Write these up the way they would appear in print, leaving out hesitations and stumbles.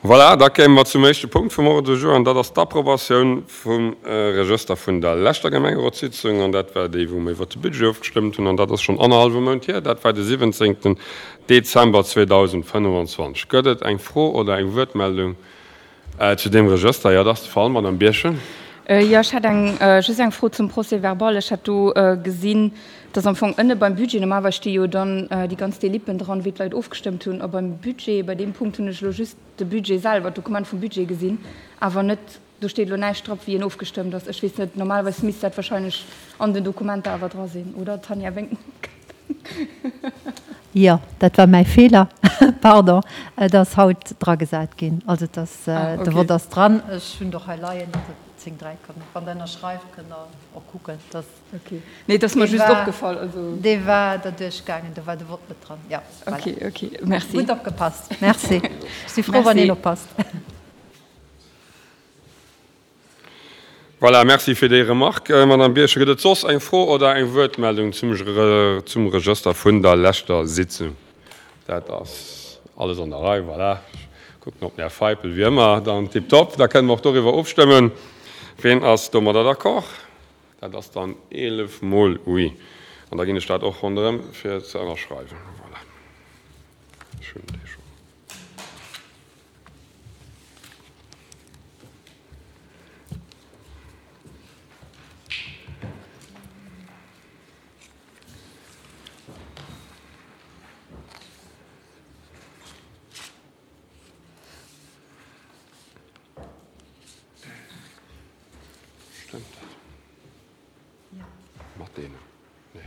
Voilà, da kéime mer zum éischte Punkt vum Ordre du jour, an dat ass d'Approbatioun vum Regëster vun der leschter Gemengerotssitzung. An dat war déi, wou mer iwwert de Budget ofgestëmmt hunn, an dat ass schonn annerhallwe Mount hier, dat war de 17. Dezember 2025. Gëtt et eng Fro oder eng Wuertmeldung zu deem Regëster? Jo, dat ass de Fall, Madame Birchen. Jo, ech hätt eng, just eng Fro zum Procès-verbal. Ech hat do gesinn, dass am Fong ënne beim Budget, normalerweis sti jo dann déi ganz Delippen dran, wéi d'Leit ofgestëmmt hunn, a beim Budget, bei deem Punkt hunn ech elo just de Budget selwer, d'Dokument vum Budget gesinn, awer net, do steet elo näischt drop, wéi en ofgestëmmt ass. Ech weess net, normalerweis misst dat wahrscheinlech an den Dokumenter awer dra sinn, oder? D'Tanja wénkt mam Kapp. Jo, dat war mäi Feeler, pardon. Et ass haut dragesat ginn. Also et ass, de Vott ass dran. Ech hunn et och hei leien, datt et 10, 3 kënnt. Wann Der ënnerschreift, kënnt Der och kucken, datt. Okay, nee, et ass mer just opgefall, also. Dee war derduerch gaangen, do war de Vott net dran. Jo, voilà. Okay, okay, merci. Gutt opgepasst, merci. Ech si frou, wann een oppasst. Voilà, merci fir déi Remarque, Madame Birchen. Gëtt et soss eng Fro oder eng Wuertmeldung zum zum Regëster vun der leschter Sitzung? Dat ass alles an der Rei, voilà. Ech kucken op den Här Feipel, wéi ëmmer. Dann tiptop, da kënnen mer och doriwwer ofstëmmen. Ween ass domadder d'accord? Dat ass dann 11 mol oui. An da ginn ech dat och ronderëm fir ze ënnerschreiwen. Voilà, ech hunn dee schonn. Stëmmt dat? Mat deenen? Nee.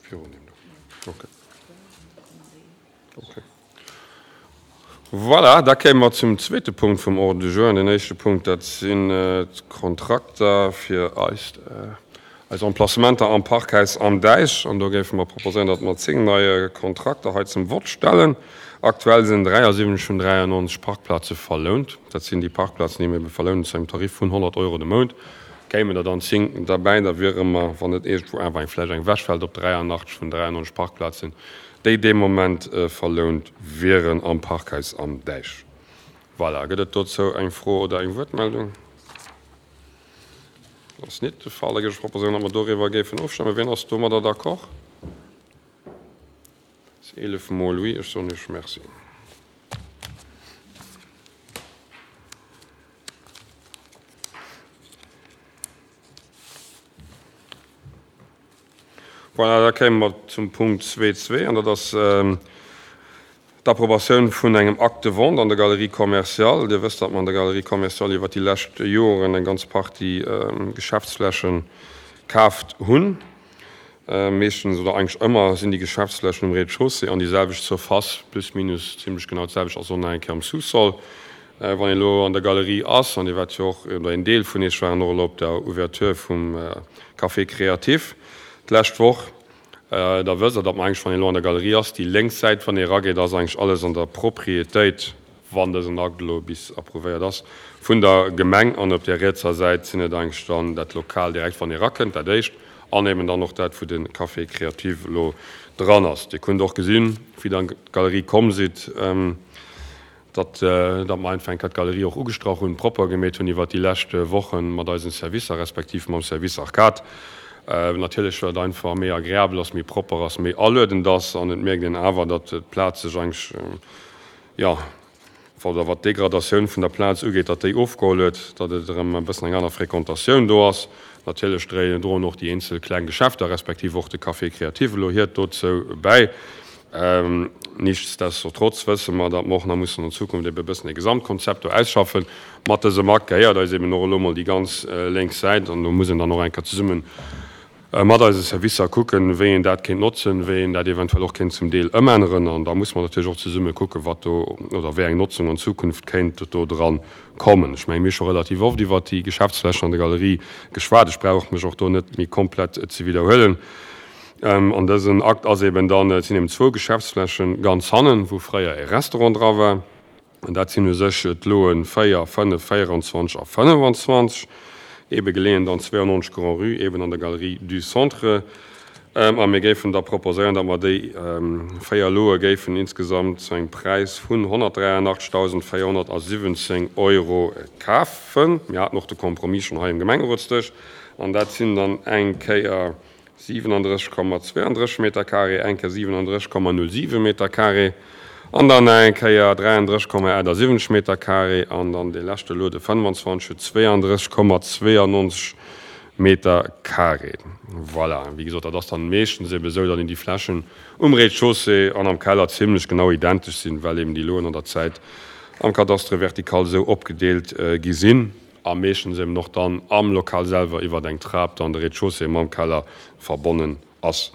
Virun deem do. Okay. Okay. Voilà, da kéime mer zum zweete Punkt vum Ordre du jour. An deen éischte Punkt, dat sinn d'Kontrakter fir eist, eis Emplacementer am Parkhaus Am Däich. An do géife mer proposéieren, datt mer 10 nei Kontrakter hei zum Vott stellen. Aktuell sinn 73 vun 93 Parkplaze verlount. Dat sinn déi Parkplazen, déi mir ebe verlounen zu engem Tarif vun 100 Euro de Mount. Kéimen der dann 10 derbäi, da wiere mer, wann net iergendwou awer eng vläicht eng wechfält, op 83 vun 93 Parkplazen, déi dee Moment verlount wieren am Parkhaus Am Däich. Voilà, gëtt et dozou eng Fro oder eng Wuertmeldung? Dat ass nit de Fall. Da géif ech proposéieren, datt mer doriwwer géifen ofstëmmen. Wien ass domadder d'accord? Dat ass 11 mol oui. Ech soen Iech Merci. Voilà, da kéime mer zum Punkt 2.2, an dat ass d'Approbatioun vun engem Acte de vente an der Galerie commerciale. Dir wësst, datt mer an der Galerie commerciale iwwert déi lescht Joren eng ganz Partie Geschäftsfläche kaaft hunn. Meeschtens oder eigentlech ëmmer sinn déi Geschäftsflächen um Rez-de-chaussée an déi selwecht Surface, plus minus zimlech genau d'selwecht ass och nach eng Kéier am Sous-sol. Wann een elo an der Galerie ass, an Dir waart jo och, oder een Deel vun Iech waren och elo op der Ouverture vum Café Créatif d'lescht Woch, da wësst Der, datt mer eigentlech, wann een elo an der Galerie ass, déi lénks Säit, wann ee erageet, ass eigentlech alles an der Propriétéit, wann dësen Akt elo bis approuvéiert ass, vun der Gemeng. An op där rietser Säit sinn et eigentlech dann dat Lokal direkt, wann ee erakënnt, dat éischt, an eben dann och dat, wou de Café Créatif elo dran ass. Dir kunnt och gesinn, wéi Der an d'Galerie komm sidd, datt datt mer einfach eng Kéier d'Galerie och ugestrach hunn, propper gemeet hunn iwwert déi lescht Wochen mat eisen Servicer, respektiv mam Service Arcade. Natierlech, well et einfach méi agreabel ass, méi propper ass, méi aluedend ass an et mierkt een awer, datt d'Plaz sech eigentlech, jo, oder wat d'Degradatioun vun der Plaz ugeet, datt déi ofgeholl huet, datt et erëm e bëssen eng aner Fréquentatioun do ass. Natierlech droen och déi eenzel kleng Geschäfter, respektiv och de Café Créatif elo hiert dozou bäi. Nichtsdestotrotz wësse mer, datt mer och nach mussen an Zukunft ebe e bëssen e Gesamtkonzept do ausschaffen. Mat dësem Akt gehéiert eis eben och elo emol déi ganz lénks Säit an do muss een dann och eng Kéier zesumme mat eise Servicer kucken, wéi een dat kéint notzen, wéi een dat eventuell och kéint zum Deel ëmänneren. An da muss mer natierlech och zesumme kucken, wat do oder wéi eng Notzung an Zukunft kéint do dran kommen. Ech mengen, mir hu scho relativ oft iwwert déi Geschäftsflächen an der Galerie geschwat. Ech brauch mech och do net méi komplett ze widderhuelen. An dësen Akt ass eben dann, et sinn eben zwou Geschäftsflächen ganz hannen, wou fréier e Restaurant dra war. An dat sinn u sech d'Loen 4, 5, 24 a 25. Ebe geleeën dann 92 Grand-Rue, eben an der Galerie du Centre. A mir géifen da proposéieren, datt mer déi 4 Loe géifen insgesamt zu engem Präis vun 183.417 Euro kafen. Mir haten och de Compromis schonn hei um Gemengerotsdësch. An dat sinn dann eng Kéier 37,32 Meter carré, eng Kéier 37,07 Meter carré an dann nach eng Kéier 33,78 Meter carré an dann dee leschte Lot, de 25, huet 32,92 Meter carré. Voilà, wéi gesot, dat ass dann meeschtens eben esou, datt een déi Flächen um Rez-de-chaussée an am Keller zimlech genau identesch sinn, well eben déi Loen an der Zäit am Cadastre vertical esou opgedeelt gi sinn. A meeschtens eben och dann am Lokal selwer iwwert eng Trap dann de Rez-de-chaussée mam Keller verbonnen ass.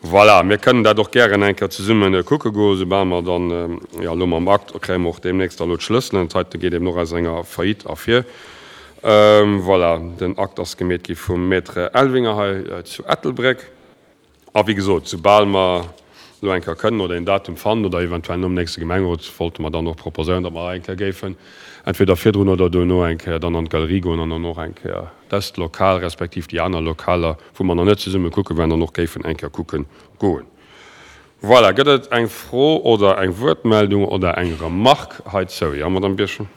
Voilà, mir kënnen dat och gären eng Kéier zesumme kucke goen, soubal mer dann, jo elo mam Akt kréie mer och deemnächst da elo d'Schlësselen. Dat heite geet eben och aus enger Faillite ervir. Voilà, den Akt ass gemeet gi vum Maître Elvinger hei zu Ettelbréck. A wéi gesot, soubal mer elo eng Kéier kënnen oder een Datum fannen oder eventuell nom nächste Gemengerot, wollte mer dann och proposéieren, datt mer eng Kéier géifen entweder virdrun oder duerno eng Kéier dann an d'Galerie goen an dann och eng Kéier dëst Lokal respektiv déi aner Lokaler, wou mer nach net zesumme kucke waren, dann och géifen eng Kéier kucke goen. Voilà, gëtt et eng Fro oder eng Wuertmeldung oder eng Remarque heizou? Jo, Madamm Birchen.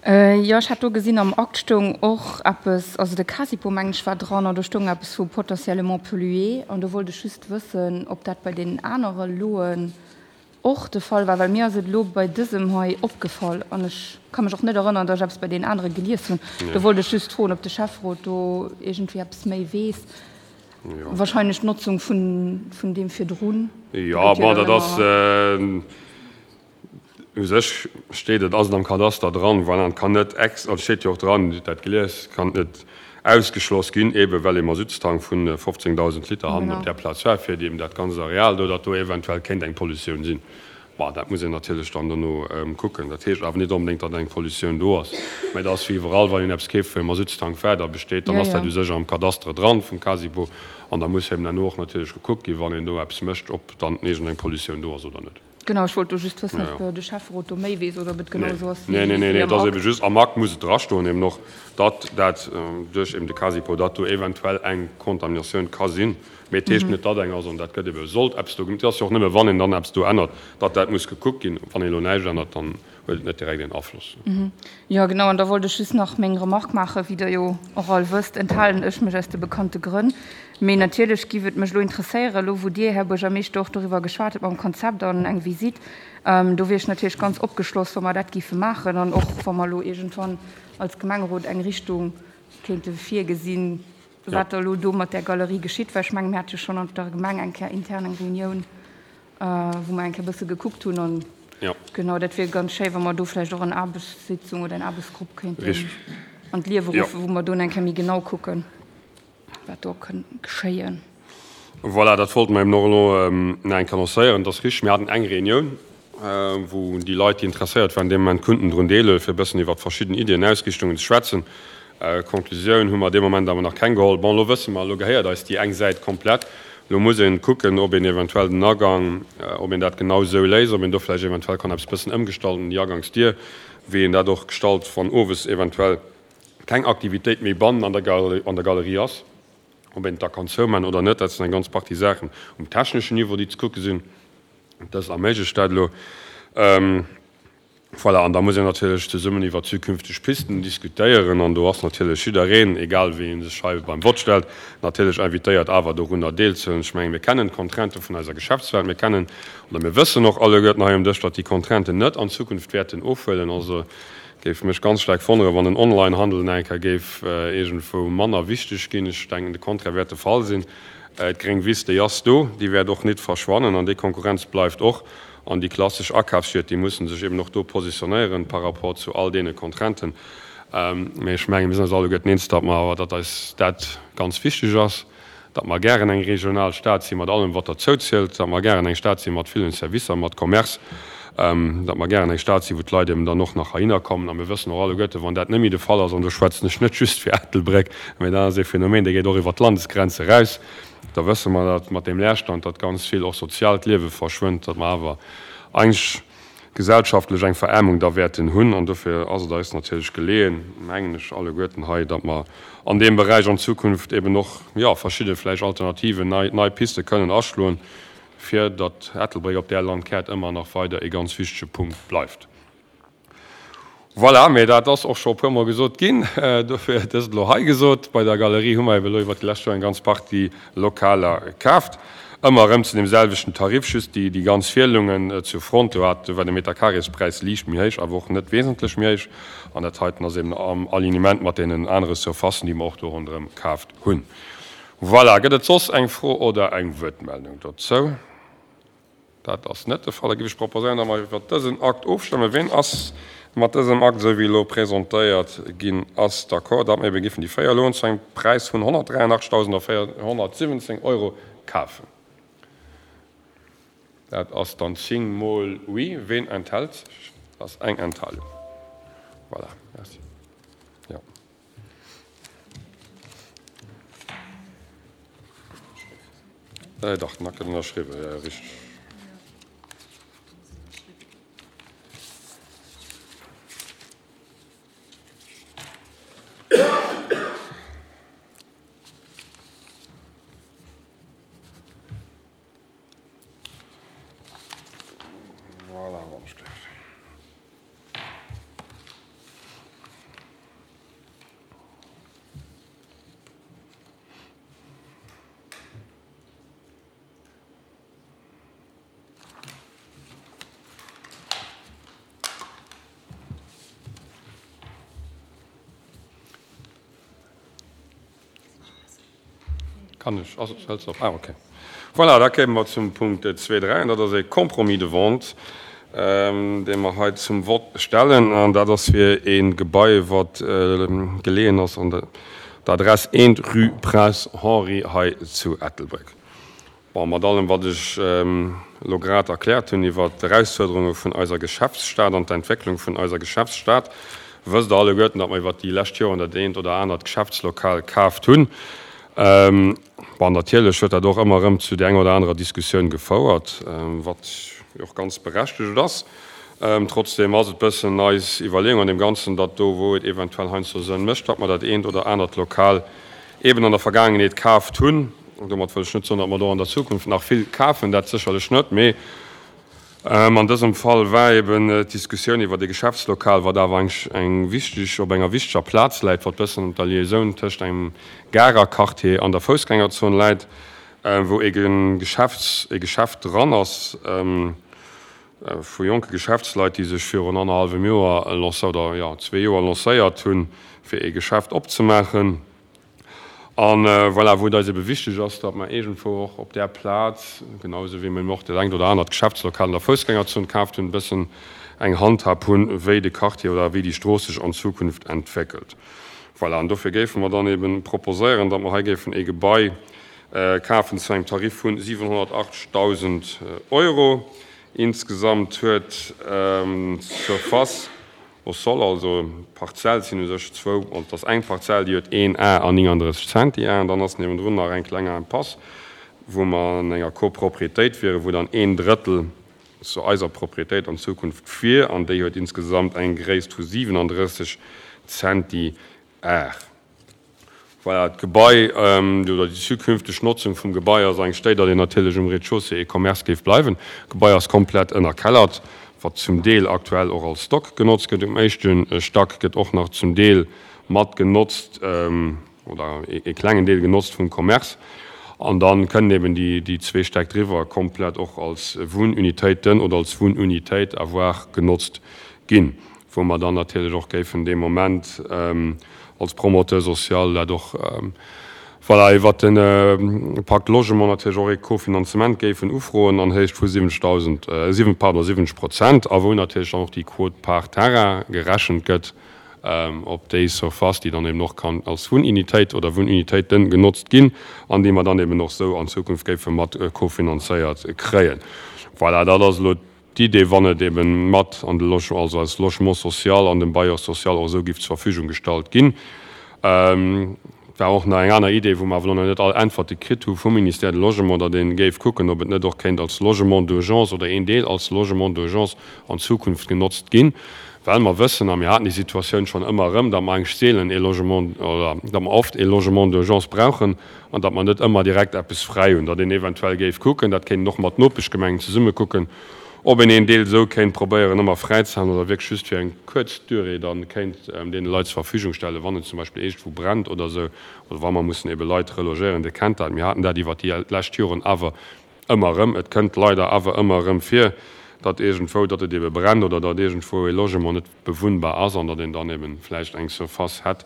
Jo, ech hat do gesinn, am Akt stoung och eppes, also de Casipo, mengen ech, war dran an do stoung eppes vu potentiellement pollué an do wollt ech just wëssen, ob dat bei deenen anere Loen och de Fall war, well mir ass et elo bei dësem hei opgefall an ech ka mech och net erënneren, datt ech eppes bei deenen anere gelies hunn. Do wollt ech just froen, ob de Schäfferot do iergendwéi eppes méi weess. Wahrscheinlech d'Notzung vun deem virdrun. Jo, bon, dat ass u sech steet et, ass et am Kadaster dran, voilà, et kann net ex, also steet jo och dran, Dir hutt dat gelies, kann net ausgeschloss ginn, eebe well ee Masuttstank vu 15.000 Liter hannen op där Plaz war, fir eben dat ganzt Areal do, datt do eventuell kéint eng Pollutioun sinn. Bon, dat muss een natierlech dann dono kucken. Dat heescht awer net onbedéngt, datt eng Pollutioun do ass. Mä et ass wéi iwwerall, wann een eppes keeft, wou e Masuttstank war, da besteet, dann ass dat u sech am Kadastere dran vum Casipo. An da muss eben herno och natierlech gekuckt ginn, wann een do eppes mécht, ob dann iergendeng Pollutioun do ass oder net. Genau, ech wollt do just wëssen, ob de Schäfferot do méi weess oder ob et genau esou ass wéi am Akt. Nee, nee, nee, et ass ebe just, am Akt muss et drastoen eben och, datt dat duerch eben de Casipo, datt do eventuell eng Kontaminatioun ka sinn. Mee et heescht net, datt eng ass, an dat gëtt ebe, sollt eppes do, et ass jo och nëmme wann een dann eppes do ännert, datt dat muss gekuckt ginn. Wann een elo näischt ännert, dann huet et net direkt een Afloss. Jo, genau, an da wollt ech just nach meng Remarque maachen. Wéi Der jo och all wësst, enthalen ech mech aus de bekannte Grënn. Mee natierlech giff et mech elo interesséieren, elo wou Dir, Här Buergermeeschter, och doriwwer geschwat hutt mam Konzept an eng Visite, do wier ech natierlech ganz opgeschloss, wa mer dat giffe maachen an och wa mer elo iergendwann als Gemengerot eng Richtung kéinte virgesinn, Wat da elo do mat där Galerie geschitt, well ech mengen, mir hate jo schonn an der Gemeng eng Kéier intern eng Reunioun, wou mer eng Kéier e bësse gekuckt hunn. An genau, dat wier ganz schéi, wa mer do vläicht och en Aarbechtssitzung oder en Aarbechtsgrupp kéinten an d'Liewe ruffen, wou mer do eng Kéier méi genau kucken, wat do kënn geschéien. Voilà, dat wollte mer eben och elo nach eng Kéier annoncéieren. Et ass richtig, mir haten eng Reunioun, wou déi Leit, déi interesséiert waren, dee Moment kunnten drun deelhuelen, fir e bëssen iwwert verschidden Iddien, Ausrichtungen ze schwätzen. Konklusioun hu mer dee Moment awer nach keng geholl. Bon, elo wësse mer, elo gehéiert eis déi eng Säit komplett. Elo muss ee kucken, ob een eventuell den Agang, ob een dat genau esou léist, ob een do vläicht eventuell kann eppes bëssen ëmgestalten, déi Agangsdier, wéi een dat och gestalt, wann owes eventuell keng Aktivitéit méi bannen an der Galerie ass, ob een et da kann zouman oder net. Dat sinn eng ganz Partie Saachen um techneschen Niveau, déi ze kucke sinn. Dëst erméiglecht dat elo. Voilà, an da muss een natierlech zesummen iwwer zukünfteg Pisten diskutéieren. An do ass natierlech jiddereen, egal wéi ee sech hei beim Vott stellt, natierlech invitéiert, awer dorunner deelzehuelen. Ech mengen, mir kennen d'Contraintë vun eiser Geschäftswelt. Mir kennen oder mir wëssen och alleguerten hei um Dësch, datt déi Contrainten net an Zukunft wäerten ofhuelen. Also géif mech ganz staark wonneren, wann den Onlinehandel nach eng Kéier géif iergendwou manner wichteg ginn. Ech denken, de Contraire wäert de Fall sinn. D'gréng Wiss, déi ass do, déi wäert och nit verschwannen an déi Konkurrenz bleift och. An déi klassesch Akafsstied, déi mussen sech eben och do positionéieren par rapport zu all deene Contrainten. Mä ech mengen, mir sinn eis alleguerten eens, datt mer awer, datt eis dat ganz wichteg ass, datt mer gären eng regional Stad si mat allem, wat derzou zielt, datt mer gären eng Stad si mat villen Servicer, mat Commerce, datt mer gären eng Stad si wou d'Leit eben dann och nach heihinner kommen. A mir wëssen och alleguerten, wann dat net méi de Fall ass, an do schwätzen ech net just fir Ettelbréck, mä dat ass ee Phänomen, dee geet och iwwert d'Landesgrenze eraus, Da wësse mer, datt mat deem Leerstand, datt ganz vill och soziaalt Liewe verschwënnt, datt mer awer eigentlech. gesellschaftlech eng Veraarmung da wäerten hunn. An dofir ass et eis natierlech geleeën, mengen ech, alleguerten hei, datt mer an deem Beräich an Zukunft eben och, jo, verschidde vläicht Alternativen, nei, nei Piste kënnen aschloen, fir datt Ettelbréck op där Landkaart ëmmer nach weider ee ganz wichtege Punkt bleift. Voilà, mee dat ass och scho e puermol gesot ginn, dofir dëst elo hei gesot. Bei der Galerie hu mer ebe elo iwwert déi lescht Joer eng ganz Partie Lokaler kaaft, ëmmer erëm zu deem selwechten Tarif, just déi déi ganz Fielungen zur Front, do hat, do war de Meterkarespräis liicht méi héich, awer och net wesentlech méi héich. An dat heiten ass eben am Alignement mat deenen anere Surfacen, déi mer och do ronderëm kaaft hunn. Voilà, gëtt et soss eng Fro oder eng Wuertmeldung dozou? Dat ass net de Fall. Da géif ech proposéieren, datt mer iwwert dësen Akt ofstëmmen. Ween ass mat dësem Akt, esou wéi elo presentéiert ginn ass, d'accord, datt mer ebe géifen déi 4 Loen zu engem Präis vun 183.417 Euro kafen? Dat ass dann 10 mol Oui. Ween enthält sech? Dat ass eng Enthalung. Voilà, merci. Jo. Dach, den Akt gëtt ënnerschriwwen, jo, jo, richteg. Voilà, wann ech gleef. Kann ech? Ass, hëlt se op? Ah, okay. Voilà, da kéime mer zum Punkt 2, 3, an dat ass e Compromis de vente, dee mer hei zum Vott stellen. An dat ass fir e Gebai, wat geleeën ass an der Adress 1, rue Prince Henri hei zu Ettelbréck. Bon, mat allem, wat ech elo grad erkläert hunn iwwert d'Erausfuerderunge vun eiser Geschäftsstad an d'Entwécklung vun eiser Geschäftsstad, wësst Der alleguerten, datt mer iwwert déi lescht Joren dat eent oder anert Geschäftslokal kaaft hunn. Bon, natierlech huet dat och ëmmer erëm zu där enger oder anerer Diskussioun gefouert, wat jo och ganz berechtegt ass. Trotzdem ass et bëssen eis Iwwerleeung an deem Ganzen, datt do, wou et eventuell heiansdo Sënn mécht, datt mer dat eent oder anert Lokal eeben an der Vergaangenheet kaaft hunn. Domat wëll ech net soen, datt mer do an der Zukunft nach vill kafen, dat sécherlech net, mee an dësem Fall war eben d'Diskussioun iwwert e Geschäftslokal, wat awer eng eng wichteg, op enger wichteger Plaz läit, wat bëssen op der Liaisoun tëscht engem Garer Quartier an der Foussgängerzon läit, wou e Geschäfts, e Geschäft dran ass vu jonke Geschäftsleit, déi sech virun annerhallwem Joer lancé, oder jo, zwee Joer lancéiert hunn, fir e Geschäft opzemaachen. A voilà, wou et eis ebe wichteg ass, datt mer iergendwou och op där Plaz, genau esou wéi mer eben och dat engt oder anert Geschäftslokal an der Foussgängerzon kaaft hunn, e bëssen eng Handhab hunn, wéi de Quartier oder wéi déi Strooss sech an Zukunft entwéckelt. Voilà, an dofir géife mer dann ebe proposéieren, datt mer hei géifen ee Gebai kafen zu engem Tarif vu 780.000 Euro. Insgesamt huet d'Surface Au sol, also d'Parzell sinn u sech zwou, also et ass eng Parzell, déi huet een Ar an 39 Centiar an dann ass niewendrun nach eng kleng Impasse, wou mer an enger Copropriétéit wieren, wou dann een Drëttel zu eiser Propriétéit an Zukunft wier an déi huet insgesamt eng Gréisst vu 37 Centiar. Voilà, d'Gebai, oder déi zukünfteg Notzung vum Gebai ass eng Stéit, datt een natierlech um Rez-de-chaussée e Commerce géif bleiwen. D'Gebai ass komplett ënnerkellert, wat zum Deel aktuell och als Stock genotzt gëtt. Um éischte Stack gëtt och nach zum Deel mat genotzt, oder e klengen Deel genotzt vum Commerce. An da kënnen eben déi zwee Stäck driwwer komplett och als Wunnunitéiten oder als Wunnunitéit à voir genotzt ginn. wou mer dann natierlech och géifen dee Moment als Promoteur social dat och, voilà, iwwert de Pacte Logement natierlech och ee Kofinanzement géifen ufroen an Héicht vu 70.000, pardon, 70 Prozent, a wou natierlech dann och déi Quote-part terrain gerechent gëtt op déi Surface, déi dann eben och kann als Wunnunitéit oder Wunnunitéiten genotzt ginn an déi mer dann eben och esou an Zukunft géife mat kofinanzéiert kréien. Voilà, dat ass elo D'Idee, wann et eben mat an de Logement, also als Logement social an dem Bailleur social och esou giff zur Verfügung gestallt ginn. Et war och nach eng aner Idee, wou mer awer elo nach net all Äntwerte kritt hu vum Ministère de Logement, datt ee géif kucken, ob et net och kéint als Logement d'urgence oder een Deel als Logement d'urgence an Zukunft genotzt ginn, well mer wëssen, a mir haten déi Situatioun schonn ëmmer erëm, datt mer eigentlech seelen ee Logement oder datt mer oft ee Logement d'urgence brauchen an datt mer net ëmmer direkt eppes fräi hunn, datt een eventuell géif kucken, dat kéint een och mat Nopeschgemengen zesumme kucken, ob een een Deel esou kéint probéieren ëmmer fräi ze halen oder wierklech just fir eng kuerz Durée dann kéint deene Leit zur Verfügung stellen, wann et zum Beispill iergendwou brennt oder esou oder wa mer mussen ebe Leit relogéieren. Dir kennt dat, mir haten dat iwwert déi lescht Joren awer ëmmer erëm. Et kënnt leider awer ëmmer erëm vir, datt iergendwou, datt et ebe brennt oder datt iergendwou ee Logement net bewunnbar ass an datt een dann ebe vläicht eng Surface hätt,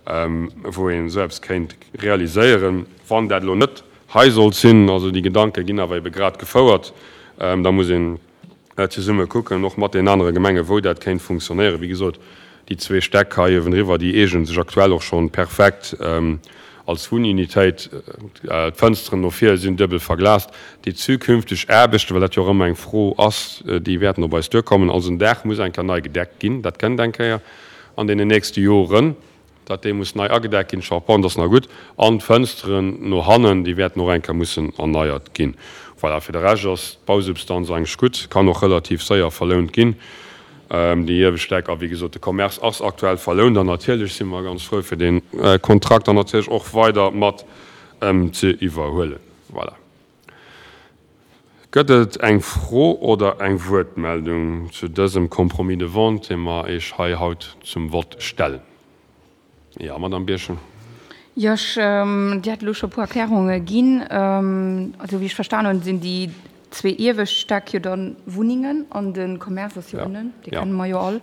wou een esou eppes kéint realiséieren. Wann dat elo net hei sollt sinn, also déi Gedanke ginn awer ebe grad gefouert, da muss een zesumme kucken, och mat deenen anere Gemengen, wou dat kéint funktionéieren. Wéi gesot, déi zwee Stäck hei uewendriwwer, déi eegnen sech aktuell och schonn perfekt als Wunnunitéit. D'Fënsteren no vir sinn duebel verglast. Déi zukünfteg Aarbechten, well dat jo och ëmmer eng Fro ass, déi wäerten op eis duerkommen. Also den Daach muss eng Kéier nei gedeckt ginn, dat kënnt eng Kéier an deenen nächste Joren. Dat dee muss nei agedeckt ginn, d'Charpente ass nach gutt an d'Fënsteren no hannen, déi wäerten och eng Kéier mussen erneiert ginn. Voilà, fir de Rescht ass d'Bausubstanz eigentlech gutt, kann och relativ séier verlount ginn, déi iewescht Deck. A wéi gesot, de Commerce ass aktuell verlount an natierlech si mer ganz frou fir dee Kontrakt dann natierlech och weider mat ze iwwerhuelen. Voilà. Gëtt et eng Fro oder eng Wuertmeldung zu dësem Compromis de vente, dee mer Iech hei haut zum Vott stellen? Jo, Madamm Birchen. Jo, ech, Dir hat elo scho e puer Erklärunge ginn. Also wéi ech verstan hunn, sinn déi zwee iewescht Stäck jo da Wunnengen an de Commerce ass jo ënnen, dee kenne mer jo all.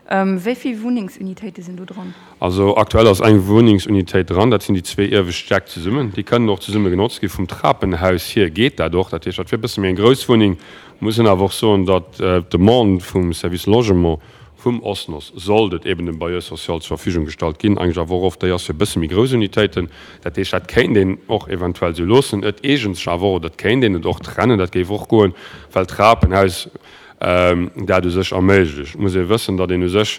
Wéi vill Wunnengsunitéite sinn do dran? Also aktuell ass eng Wunnengsunitéit dran, dat sinn déi zwee iewescht Stäck zesummen. Déi kënnen och zesumme genotzt ginn. Vum Trapenhaus hier geet dat och. Dat heescht, dat wier e bësse méi eng grouss Wunneng. Muss een awer och soen, datt d'Demande vum Service Logement vum OSNOS, sollt et eben dem Bailleur social zur Verfügung gestallt ginn, eigentlech awer och oft déi ass fir e bësse méi grouss Unitéiten. Dat heescht, dat kéint een och eventuell esou loossen. Et eegent sech awer och, oder et kéint een et och trennen, dat géif och goen, well d'Trapenhaus dat u sech erméiglecht. Et muss ee wëssen, datt een u sech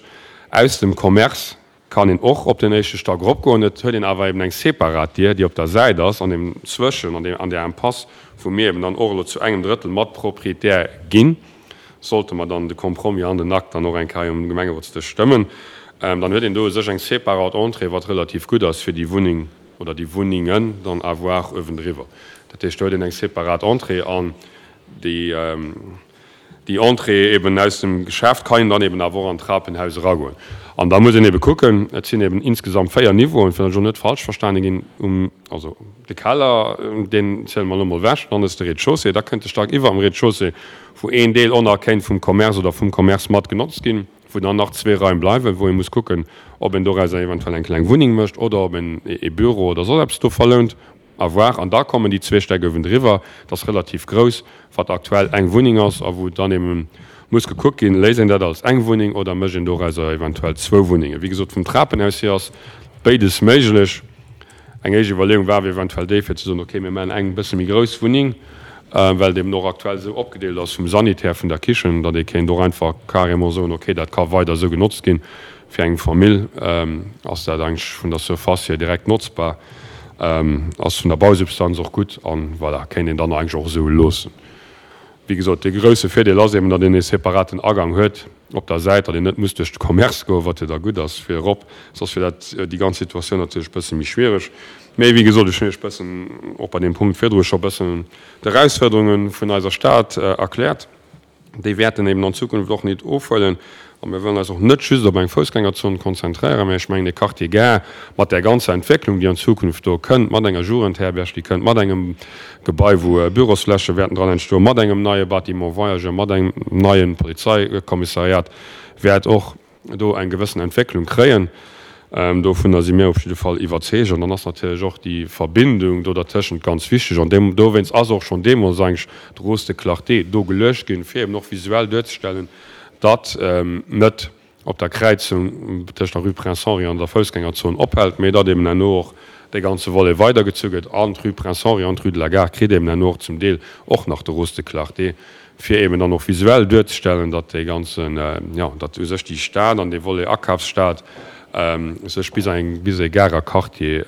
aus dem Commerce kann een och op den éischte Stack eropgoen. Et huet een awer eben eng separat Dier, déi op der Säit ass, an deem Zwëschen, an deem, an där Impasse, wou mir eben dann och elo zu engem Drëttel mat Proprietär ginn, sollte mer dann de Compromis an den Akt dann och eng Kéier um Gemengerotsdësch stëmmen. Dann huet een do u sech eng separat Entrée, wat relativ gutt ass fir déi Wunneng oder déi Wunnengen dann à voir uewendriwwer. Dat heescht, do huet een eng separat Entrée an déi, Déi Entrée eben aus dem Geschäft kann een dann eben awer och an d'Trapenhaus eragoen. An da muss een eben kucken, et sinn eben insgesamt 4 Niveauen, fir datt ech och net falsch verstane ginn, um, also de Keller, deen ziele mer elo mol ewech, dann ass de Rez-de-chaussée, da kënnt de Stack iwwer dem Rez-de-chaussée, wou een Deel och nach kéint vum Commerce oder vum Commerce mat genotzt ginn, wou dann nach zwee Raim bleiwen, wou ee muss kucken, ob een dorauser eventuell eng kleng Wunneng mécht oder ob een ee Büro oder soss eppes do verlount. À voir. An da kommen déi zwee Stäck uewendriwwer, dat ass relativ grouss, wat aktuell eng Wunneng ass a wou dann ebe muss gekuckt ginn, léisst een dat als eng Wunneng oder mécht een dorauser eventuell zwou Wunnengen. Wéi gesot, vum Trapenhaus hier ass béides méiglech. Eng éischt Iwwerleeung war awer eventuell déi, fir ze soen, okay, mir maachen eng bësse méi grouss Wunneng, well et eben och aktuell esou opgedeelt ass vum Sanitär, vun der Kichen, datt ee kéint och einfach carrément soen, okay, dat ka weider esou genotzt ginn. Fir eng Famill ass dat eigentlech vun der Surface hier direkt notzbar, ass vun der Bausubstanz och gutt an voilà, kéint een dann eigentlech och esou loossen. Wéi gesot, dee grousse Virdeel ass eben, datt een ee separaten Agang huet op der Säit, datt een net muss duerch de Commerce goen, wat jo da gutt ass fir erop, soss wier dat déi ganz Situatioun natierlech e bësse méi schwiereg. Mee wéi gesot, ech hunn Iech e bëssen och bei deem Punkt virdru scho e bëssen d'Erausfuerderunge vun eiser Stad erkläert. Déi wäerten eben an Zukunft och nit ofhuelen. A mir wëllen eis och net just op eng Foussgängerzon konzentréieren, mä ech mengen, de Quartier Gare mat där ganzer Entwécklung, déi an Zukunft do kënnt, mat enger Jugendherberg, déi kënnt, mat engem Gebai, wou Bürosfläche wäerten dran entstoen, mat engem neie Bâtiment voyageurs, mat engem neie Polizeikommissariat, wäert och do eng gewëssen Entwécklung kréien. Dovunner si mir op jidde Fall iwwerzeegt. An dann ass natierlech och déi Verbindung do dertëschent ganz wichteg. An dowéinst ass och schonn deemools eigentlech d'Rose de Clarté do geluecht ginn, fir eben och visuell duerzestellen, datt net op der Kräizung tëscht der Rue Prince Henri an der Foussgängerzon ophält, mee datt eben herno och dee ganze Volet weidergezu gëtt an d'Rue Prince Henri an d'Rue de la Gare kritt eben herno och zum Deel och nach de Rose de Clarté. fir eben dann och visuell duerzestellen, datt dee ganzen, jo, datt u sech déi Stad an dee Volet Akafsstad. sech bis eng bis e Garer Quartier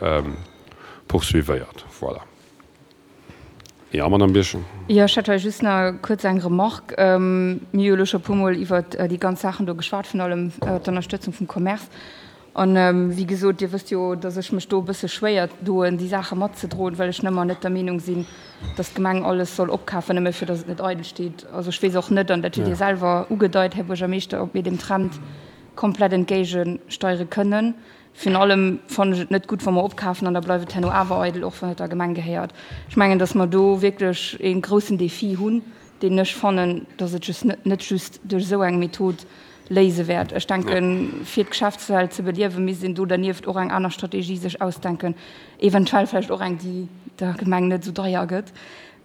poursuivéiert. Voilà. Jo, Madame Birchen. Jo, ech hätt hei just nach kuerz eng Remarque. Mir hu jo elo scho e puermol iwwert déi ganz Saachen do geschwat, virun allem d'Ënnerstëtzung vum Commerce. An, wéi gesot, Dir wësst jo, dass ech mech do e bësse schwéier doen, déi Saache matzedroen, well ech nëmmer net der Meenung sinn, dass d'Gemeng alles soll opkafen, nëmme fir dass et net eidel steet. Also ech weess och net, an dat hutt Dir selwer ugedeit, Här Buergermeeschter, ob mir deem Trend komplett entgéigesteiere kënnen. Virun allem fannen ech et net gutt, wa mer opkafen an da bleift et herno awer eidel, och wann et der Gemeng gehéiert. Ech mengen, dass mer do wierklech ee groussen Défi hunn, deen ech fannen, dass et just net just duerch esou eng Method léise wäert. Ech denken, fir d'Geschäftswelt ze beliewen, misst een do dernieft och eng aner Strategie sech ausdenken, eventuell vläicht och eng, déi der Gemeng net esou deier gëtt.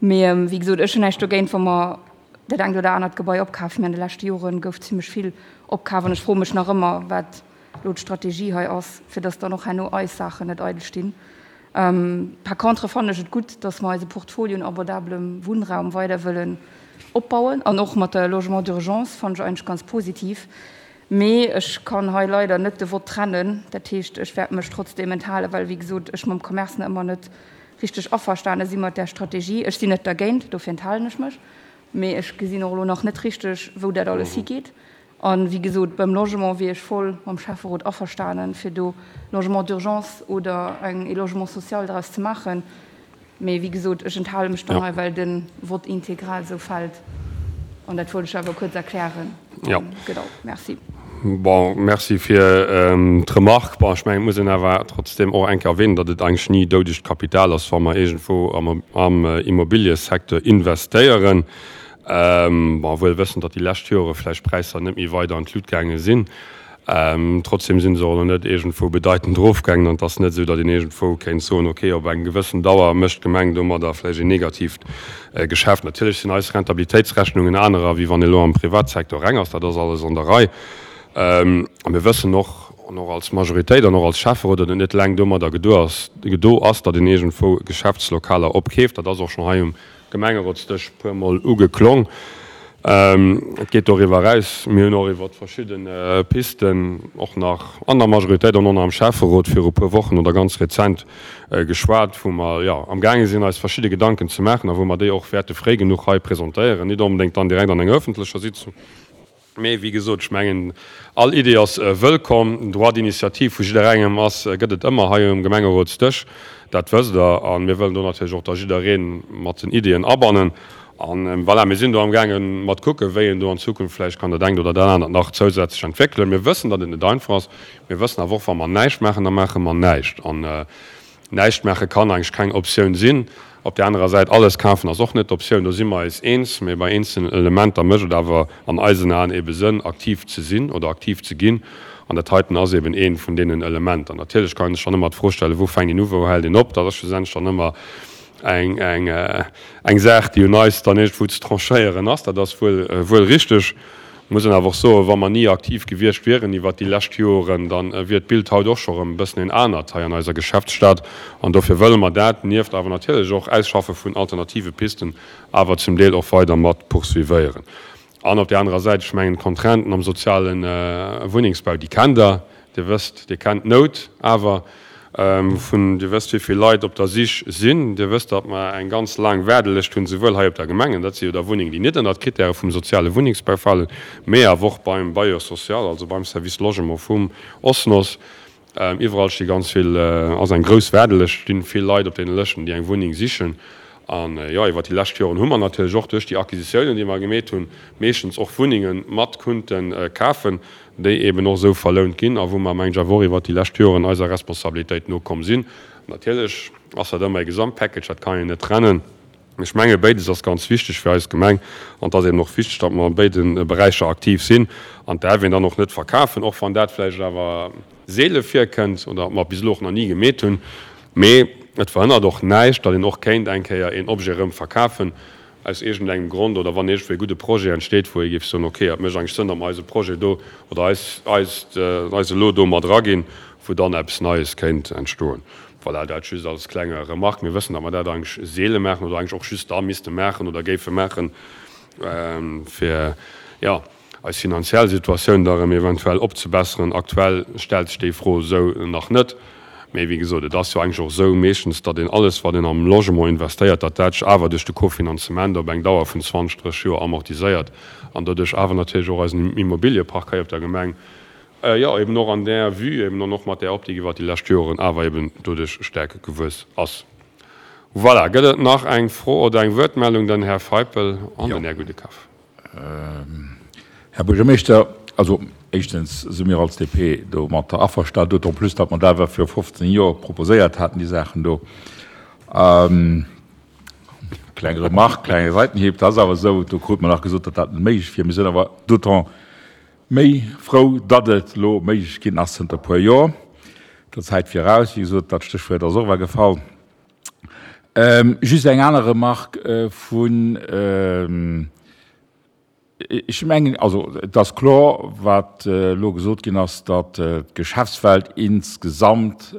Mee wéi gesot, ech hunn näischt dogéint, wa mer dat engt oder anert Gebai opkafen. Mee an de leschte Jore gouf zimlech vill opkaf an ech froe mech nach ëmmer, wat elo d'Strategie hei ass, fir dass dann och herno eis Saachen net eidel stinn. Par contre fannen ech et gutt, dass mer eise Portfolio un abordablem Wunnraum weider wëllen opbauen an och mat der Logement d'urgence fannen ech eigentlech ganz positiv. Mee ech kann hei leider net de Vott trennen. Dat heescht, ech wäert mech trotzdeem enthalen, well, wéi gesot, ech mam Commerce nach ëmmer net richteg averstane si mat där Strategie. Ech sinn net dergéint, dofir enthalen ech mech. Mee ech gesinn och elo nach net richteg, wou dat alles higeet. A wéi gesot, beim Logement wier ech voll mam Schäfferot averstanen, fir do Logement d'urgence oder eng ee Logement social draus ze maachen. Mee wéi gesot, ech enthale mech dann hei, well de Vote intégral esou fält. An dat wollt ech awer kuerz erklären. Jo. Genau. Merci. Bon, merci fir d'Remarque. Bon, ech mengen, et muss een awer trotzdem och eng Kéier erwähnen, datt et eigentlech ni doudegt Kapital ass, wa mer iergendwou am Immobiliësecteur investéieren. Bon, wuel wëssend, datt déi lescht Jore vläicht d'Präisser net méi weider an d'Lut gaange sinn. Trotzdem si se och elo net iergendwou bedeitend erofgaangen an et ass net esou, datt een iergendwou kéint soen, okay, op eng gewëssen Dauer mécht d'Gemeng domadder vläicht een negatiivt Geschäft. Natierlech sinn eis Rentabilitéitsrechnungen anerer, wéi wann ee elo am Privatsecteur reng ass. Dat ass alles an der Rei. A mir wëssen och, an och als Majoritéit an och als Schäfferot, datt et net eleng domadder gedo ass, datt een iergendwou Geschäftslokaler opkeeft. Dat ass och schonn hei um Gemengerotsdësch puer mol ugeklong. Et geet doriwwer eraus, mir hunn och iwwer verschidde Pisten och nach an der Majoritéit an och nach am Schäfferot viru puer Wochen oder ganz rezent geschwat, wou mer, jo, amgaange sinn eis verschidde Gedanken ze maachen a wou mer déi och wäerte fréi genuch hei presentéieren, nit onbedéngt dann direkt an enger öffentlecher Sitzung. Mee wéi gesot, ech mengen, all Idee ass wëllkomm. Den Droit d'initiative vu jidderengem ass, gëtt et ëmmer hei um Gemengerotsdësch, dat wësst Der. A mir wëllen do natierlech och da jidderee mat den Ideeën abannen. A voilà, mir sinn do amgaange mat kucken, wéi een do an Zukunft vläicht kann dat engt oder dat anert nach zousätzlech entwéckelen. Mir wëssen, datt et net einfach ass. Mir wëssen awer och, wa mer näischt maachen, da maache mer näischt. An Näischt maache kann eigentlech keng Optioun sinn. Op där anerer Säit, alles kafen ass och net d'Optioun, do si mer eis eens. Mee bei eenzelnen Elementer mécht et awer an eisen Aen ebe Sënn, aktiv ze sinn oder aktiv ze ginn. An dat heiten ass eben eent vun deenen Elementer. Natierlech kann een sech dann ëmmer d'Fro stellen, Wou fänkt een u, wou hält een op? Dat ass schlussendlech dann ëmmer eng, eng, eng Saach, déi un eis dann iergendwou ze tranchéieren ass. Dat ass wuel, wuel richteg. Muss een awer och soen, wa mer ni aktiv gewiescht wieren iwwert déi lescht Joren, da wier d'Bild haut och scho rëm e bëssen een anert hei an eiser Geschäftsstad. An dofir wëlle mer dat, nieft awer natierlech och Ausschaffe vun alternative Pisten, awer zum Deel och weider mat poursuivéieren. An op där anerer Säit, ech mengen, d'Contrainten am soziale Wunnengsbau, déi kennt Der. Dir wësst, Dir kennt d'Nout awer vun, Dir wësst, wéi vill Leit op der Sich sinn. Dir wësst, datt mer eng ganz laang Waardelëscht hunn, souwuel hei op der Gemeng, an dat si jo da Wunnengen, déi net ënnert d'Krittäre vum soziale Wunnengsbau falen, mee awer och beim Bailleur social, also beim Service Logement vum OSNOS. Iwwerall sti ganz vill, ass eng grouss Waardelëscht, stinn vill Leit op deene Lëschten, déi eng Wunneng sichen. An, jo, iwwert déi lescht Joren hu mer natierlech och duerch déi Acquisitiounen, déi mer gemeet hunn, meeschtens och Wunnenge mat kunnte kafen. déi eben och esou verlount ginn a wou mer, mengen ech, awer och iwwert déi lescht Joren eiser Responsabilitéit nokomm sinn. Natierlech ass dat ëmmer e Gesamtpackage, dat kann een net trennen. Ech menge béides ass ganz wichteg fir eis Gemeng an et ass eben och wichteg, datt mer a béide Beräicher aktiv sinn an d'äerf een dann och net verkafen, och wann dat vläicht awer seele virkënnt oder mer bis elo och nach ni gemeet hunn. Mee et verhënnert och näischt, datt een och kéint eng Kéier een Objet erëm verkafen, aus iergendengem Grond oder wann iergendwou e gudde Projet entsteet, wou ee géif soen, okay, et mécht eigentlech Sënn, datt mer eise Projet do oder eis, eist, eis elo do mat eraginn, wou dann eppes Neies kéint entstoen. Voilà, dat just als klenge Remarque. Mir wëssen, datt mer dat eigentlech seele maachen oder eigentlech och just da misste maachen oder géife maachen, fir, jo. eis finanziell Situatioun da erëm eventuell opzebesseren. Aktuell stellt sech déi Fro esou nach net. Mee wéi gesot, et ass jo eigentlech och esou meeschtens, datt een alles, wat een am Logement investéiert, datt dat sech awer duerch de Kofinanzement op eng Dauer vun 20, 30 Joer amortiséiert an doduerch awer natierlech och eisen Immobiliepark hei op der Gemeng, jo eben och an där Vue eben an och mat där Optik iwwert déi lescht Joren awer eben doduerch staark gewuess ass. Voilà, gëtt et nach eng Fro oder eng Wuertmeldung? Den Här Feipel an den Här Gudekaf. Här Buergermeeschter, also éischtens si mir als DP domatter averstanen, d'autant plus, datt mer dat awer viru 15 Joer proposéiert haten, déi Saachen do. Kleng Remarque, klenge Seitenhieb, dat ass awer esou, do krute mer nach gesot, datt dat net méiglech wier. Mir sinn awer d'autant méi frou, datt et elo méiglech ginn ass zënter e puer Joer, der Zäit viraus. Wéi gesot, dat Stéchwuert ass och ewell gefall. Just eng aner Remarque vun, ech mengen, also et ass kloer, wat elo gesot ginn ass, datt d'Geschäftswelt insgesamt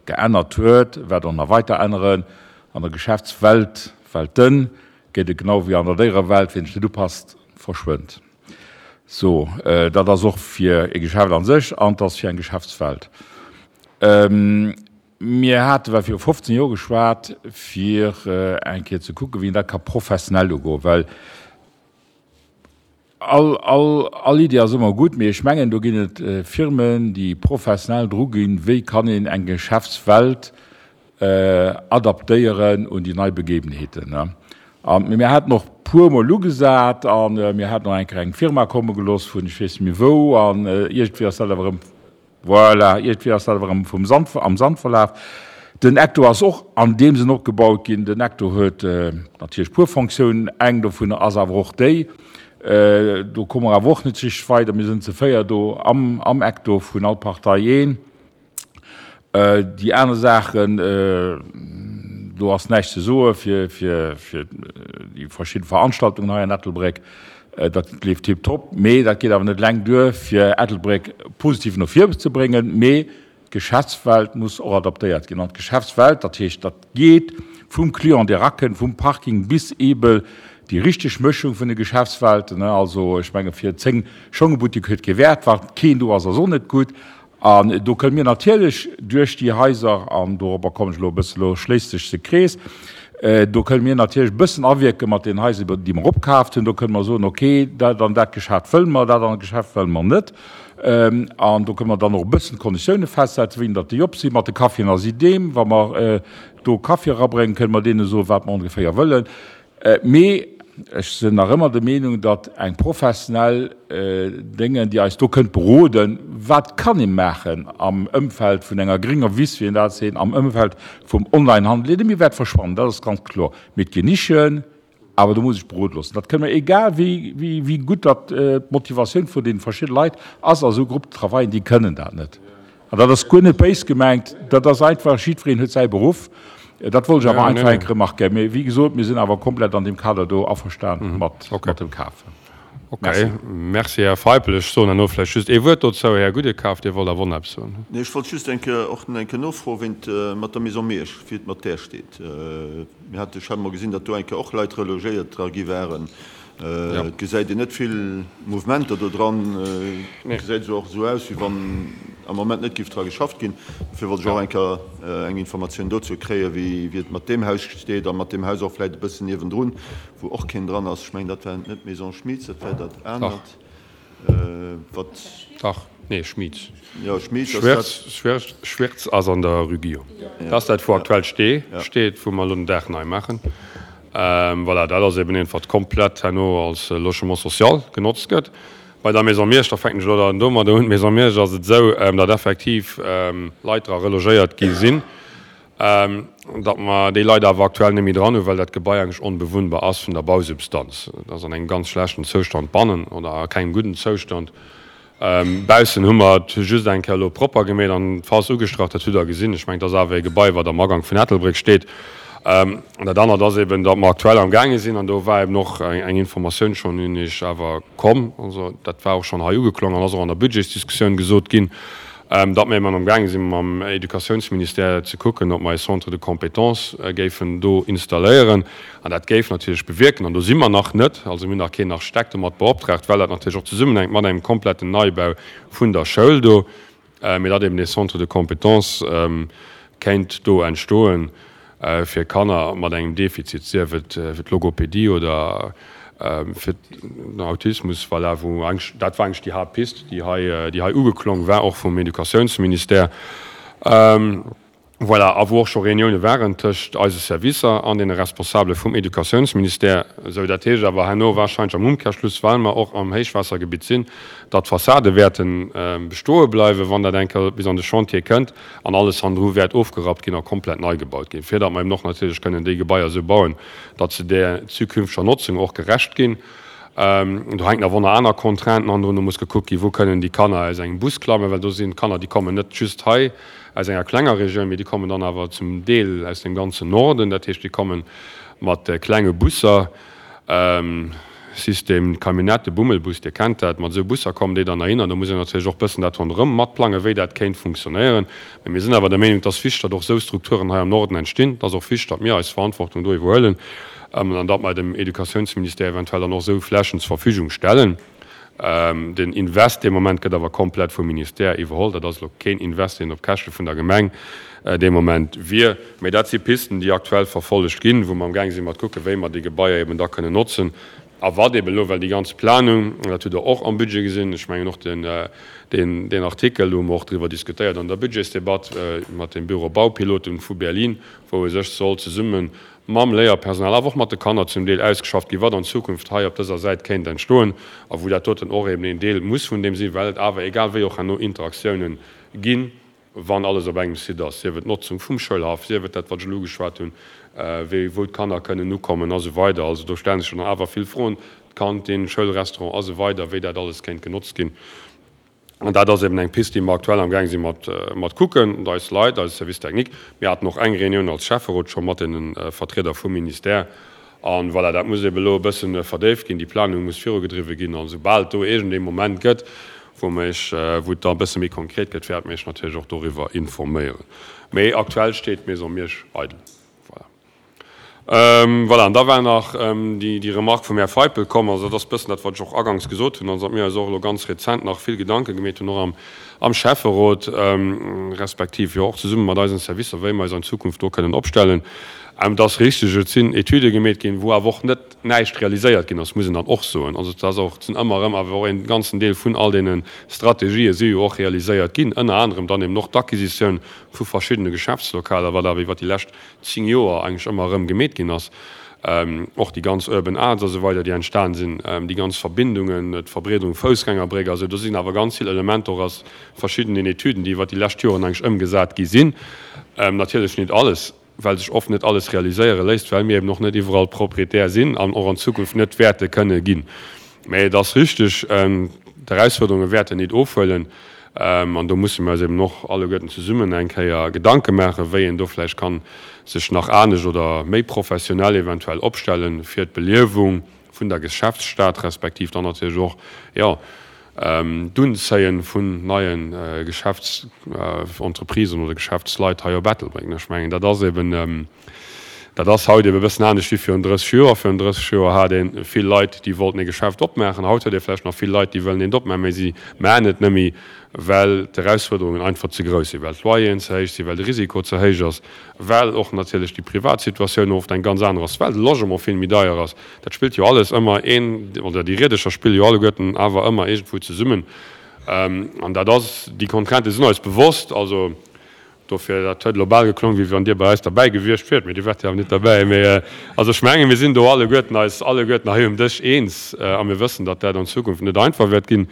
geännert huet, wäert och nach weiter änneren. An der Geschäftswelt, Welten, geet et genau wéi an der Déierewelt, Wien sech net upasst, verschwënnt. Sou, dat ass och fir e Geschäft a sech an et ass fir eng Geschäftswelt. Mir hate well viru 15 Joer geschwat, fir eng Kéier ze kucken, wéi een dat ka professionell ugoen, well all, all, all Idee ass ëmmer gutt, mee ech mengen, do ginn et Firmen, déi professionell dru ginn, wéi kann een eng Geschäftswelt adaptéieren un déi nei Begebenheeten. A mir haten och puermol ugesat a mir haten och eng Kéier eng Firma komme gelooss vun ech weess net méi wou an iergendwéi ass dat awer erëm Voilà, iergendwéi ass dat awer erëm vum Sand, am Sand verlaf. Den Ecto ass och an deem Sënn opgebaut ginn. Den Ecto huet natierlech puer Fonctiounen. Eng dovunner ass awer och déi, do komme mer awer och net richteg weider, mir sinn ze 4 do am, am Ecto, vun all Partei een. Déi aner Saachen, do ass näischt ze soe fir, fir, fir déi verschidde Veranstaltungen hei an Ettelbréck. Dat leeft tiptop, mee dat geet awer net eleng duer, fir Ettelbréck positiv no vir ze bréngen. Mee d'Geschäftswelt muss och adaptéiert ginn. An d'Geschäftswelt, dat heescht, dat geet vum Client, dee erakënnt, vum Parking bis eebe déi richteg Mëschung vun de Geschäftswelten. Also ech menge fir 10 Schongebuttek huet kee Wäert, wa keen do ass, ass och net gutt. An do kënne mir natierlech duerch déi Haiser, an dorobber kommen ech elo e bëssen, elo schléisst sech de Krees, do kënne mir natierlech e bëssen awierke mat den Haiser, déi mer opkaaft hunn. Do kënne mer soen, okay, dat an dat Geschäft wëlle mer, dat an Geschäft wëlle mer net. An do kënne mer dann och e bëssen d'Konditioune festsetzen, wéini datt déi op sinn. Mat de Caféen ass idem, wa mer do Kaffi erabréngen, kënne mer deene soen, wat mer ongeféier wëllen. Mee ech sinn nach ëmmer der Meenung, datt eng professionell Déngen, déi eis do kënnt beroden, wat kann ee maachen am Ëmfeld vun enger grénger Wiss, wéi een dat seet, am Ëmfeld vum Onlinehandel, dee méi wäert verschwannen, dat ass ganz kloer, mee et ginn Nischen, awer do muss ech berode loossen. Dat kënne mer, egal wéi, wéi gutt datt d'Motivatioun vun deene verschiddene Leit ass a sou Groupes de travaillen, déi kënnen dat net. An dat ass guer net béis gemengt, dat ass einfach, jiddwereen huet säi Beruff. Dat wollt ech awer einfach eng Kéier remarquéieren. Mee wéi gesot, mir sinn awer komplett an deem Kader do averstan mat dem Kafen. Merci. Merci, Här Feipel. Ech soen herno vläicht just ee Wuert dozou. Här Gudekaf, Dir wollt awer och nach eppes soen. Nee, ech wollt just eng Kéier och eng Kéier nofroen, wéi et mat der Maison Miersch, wéi et mat där steet. Mir hate, ech hat emol gesinn, datt do eng Kéier och Leit relogéiert dra gi waren. Et gesäit een net vill Mouvementer do dran. Et gesäit esou och esou aus, wéi wann am Moment net géif dra geschafft ginn. Dofir wollt ech och eng Kéier eng Informatioun dozou kréien, wéi et mat deem Haus steet a mat deem Haus och vläicht e bëssen niewendrun, wou och keen dran ass. Ech mengen, dat war net d'Maison Schmitz, dat war dat anert. Wat? Dach, nee, Schmieds. Jo, Schmieds ass dat. Schwerz, Schwerz ass an der Rue Guillaume. Dat ass dat, wou aktuell Stee steet, wou mer elo den Daach nei maachen. Voilà, dat ass eben eent, wat komplett herno als Logement social genotzt gëtt. Bei der Maison Miersch, da fänken ech elo dann domadder un, d'Maison Miersch ass et esou, datt effektiv Leit dra relogéiert gi sinn. Datt mer déi Leit awer aktuell net méi dran hunn, well dat Gebai eigentlech onbewunnbar ass vun der Bausubstanz. Et ass an engem ganz schlechten Zoustand bannen oder a kengem gudden Zoustand. Baussen hu mer et just eng Kéier elo propper gemeet an d'Fass ugestrach, dat hutt Der gesinn. Ech mengen, et ass awer e Gebai, wat am Agank vun Ettelbréck steet. An dat anert ass eben, datt mer aktuell amgaange sinn, an do war eben och eng Informatioun schonn un Iech awer komm, also dat war och schonn hei ugeklongen an ass och an der Budgetsdiskussioun gesot ginn. Datt mir eben amgaange si mam Educatiounsministère ze kucken, ob mer e Centre de compétences géifen do installéieren. An dat géif natierlech bewierken, an do si mer nach net, also mir hunn nach keen Architekt domat beoptraagt, well dat natierlech och zesummenhänkt mat engem kompletten Neibau vun der Schoul do, mee datt eben dee Centre de compétences kéint do entstoen fir Kanner mat engem Defizit, sief et fir d'Logopedie oder fir den Autismus, voilà, wou eigentlech, dat war eigentlech déi Haaptpist, déi hei, déi hei ugeklong war, och vum Educatiounsministère. Voilà, a wou och scho Reunioune waren tëscht eise Servicer an deene Responsabele vum Educatiounsministère. Esou, dat heescht awer herno wahrscheinlech am Umkehrschluss, well mer och am Héichwaassergebitt sinn, datt d'Fassade wäerte bestoe bleiwen, wann dat eng Kéier bis an de Chantier kënnt, an alles hannendru wäert ofgerappt ginn a komplett nei gebaut ginn, fir datt mer eben och natierlech kënnen déi Gebaier esou bauen, datt se där zukünfteger Notzung och gerecht ginn. Do hänken awer och nach aner Contrainten hannendrun. Do muss gekuckt ginn, wou kënnen déi Kanner aus engem Bus klammen, well do sinn Kanner, déi kommen net just hei aus enger klenger Regioun, mee déi kommen dann awer zum Deel aus dem ganzen Norden. Dat heescht, déi komme mat klenge Busser, System Camionnette, Bummelbus, Dir kennt dat, mat esou Busser kommen déi dann heihinner. Do muss een natierlech och bëssen dat ronderëm matplangen, wéi dat kéint funktionéieren. Mee mir sinn awer der Meenung, et ass wichteg, datt och esou Strukturen hei am Norden entstinn. Et ass och wichteg, datt mir eis Verantwortung do iwwerhuelen an datt mer dem Educatiounsministère eventuell dann och esou Flächen zur Verfügung stellen. Den Invest dee Moment gëtt awer komplett vum Ministère iwwerholl. Dat ass elo keen Invest, deen op Käschte vun der Gemeng dee Moment wier. Mee dat si Pisten, déi aktuell verfollegt ginn, wou mer amgaang si mat kucken, wéi mer déi Gebaier eben da kënnen notzen. A wat eben elo, well déi ganz Planung, an dat hutt Der och am Budget gesinn, ech mengen och den, deen Artikel, do hu mer och driwwer diskutéiert an der Budgetsdebatt mat dem Büro Baupiloten vu Berlin, wou u sech soll zesumme mam Léierpersonal, awer och mat de Kanner zum Deel ausgeschafft ginn, wat an Zukunft hei op dëser Säit kéint entstoen a wou dat doten och eben een Deel muss vun deem sinn, well et awer egal wéi och herno Interaktiounen ginn, wann alles op engem Site ass, sief et d'Notzung vum Schoulhaff, sief et dat, wat ech elo ugeschwat hunn, wéi wou d'Kanner kënnen ukommen a sou weider. Also do stellen sech dann awer vill Froen, d'Kantin, Schoulrestaurant a sou weider, wéi dat alles kéint genotzt ginn. An dat ass eben eng Pist, déi mer aktuell amgaang si mat mat kucken, mat eis Leit, eise Service technique. Mir haten och eng Reunioun als Schäfferot scho mat deene Vertrieder vum Ministère. A voilà, dat muss eben elo e bësse verdéift ginn, déi Planung muss virugedriwwe ginn. An esoubal et do iergendee Moment gëtt, wou mer Iech, wou et da e bësse méi konkret gëtt, wäerte mer Iech natierlech och doriwwer informéieren. Mee aktuell steet d'Maison Miersch eidel. Voilà. Voilà, an da war nach déi Remarque vum Här Feipel komm. Also dat ass e bëssen dat, wat ech och aganks gesot hunn, also datt mir eis och elo ganz rezent nach vill Gedanke gemeet hunn, och am Schäfferot, respektiv jo och zesumme mat eisen Servicer, wéi mer eis an Zukunft do kënnen opstellen. Et ass richtig, et sinn Etüde gemeet ginn, wou awer och net näischt realiséiert ginn ass, muss een dann och soen. Also et ass och, et sinn ëmmer erëm awer och een ganzen Deel vun all deene Strategië si jo och realiséiert ginn, ënner anerem dann eben och d'Acquisitioun vu verschiddene Geschäftslokaler, wat awer iwwert déi lescht 10 Joer eigentlech ëmmer erëm gemeet ginn ass, och déi ganz Urban Arts a sou weider, déi entstan sinn, déi ganz Verbindungen, d'Verbreederung Foussgängerbréck a sou, do sinn awer ganz vill Elementer och aus verschiddenen Etüden, déi iwwert déi lescht Joren eigentlech ëmgesat gi sinn. Natierlech nit alles, well sech oft net alles realiséiere léisst, well mir eben och net iwwerall Proprietär sinn an och an Zukunft net wäerte kënne ginn. Mä et ass richtig, d'Erausfuerderunge wäerten nit ofhuelen. An do musse mir eis eben och alleguerten zesummen eng Kéier Gedanke maachen, wéi een do vläicht kann sech nach anescht oder méi professionell eventuell opstellen, fir d'Beliewung vun der Geschäftsstad respektiv dann natierlech och, jo, d'Unzéie vun neie Geschäftsentreprisen oder Geschäftsleit hei op Ettelbréck. Ech mengen, dat ass eben, Dat ass haut ebe bëssen anescht wéi virun 30 Joer. Virun 30 Joer hat ee vill Leit, déi wollten ee Geschäft opmaachen. Haut huet ee vläicht nach vill Leit, déi wëllen eent opmaachen, mä si maachen et net méi, well d'Erausfuerderungen einfach ze grouss sinn, well d'Loyeren ze héich sinn, well de Risiko ze héich ass, well och natierlech déi privat Situatioun oft eng ganz aner ass, well de Logement vill méi deier ass. Dat spillt jo alles ëmmer een, oder déi Riedercher spille jo alleguerten awer ëmmer iergendwou zesummen. An dat ass, déi Contraintë sinn eis bewosst. Also Dofir, dat huet elo bal geklongen, wéi wann Dir bei eis derbäi gewiescht wiert, mee Dir waart jo awer net derbäi. Mee also ech mengen, mir sinn do alleguerten eis alleguerten hei um Dësch eens a mir wëssen, datt dat an Zukunft net einfach wäert ginn.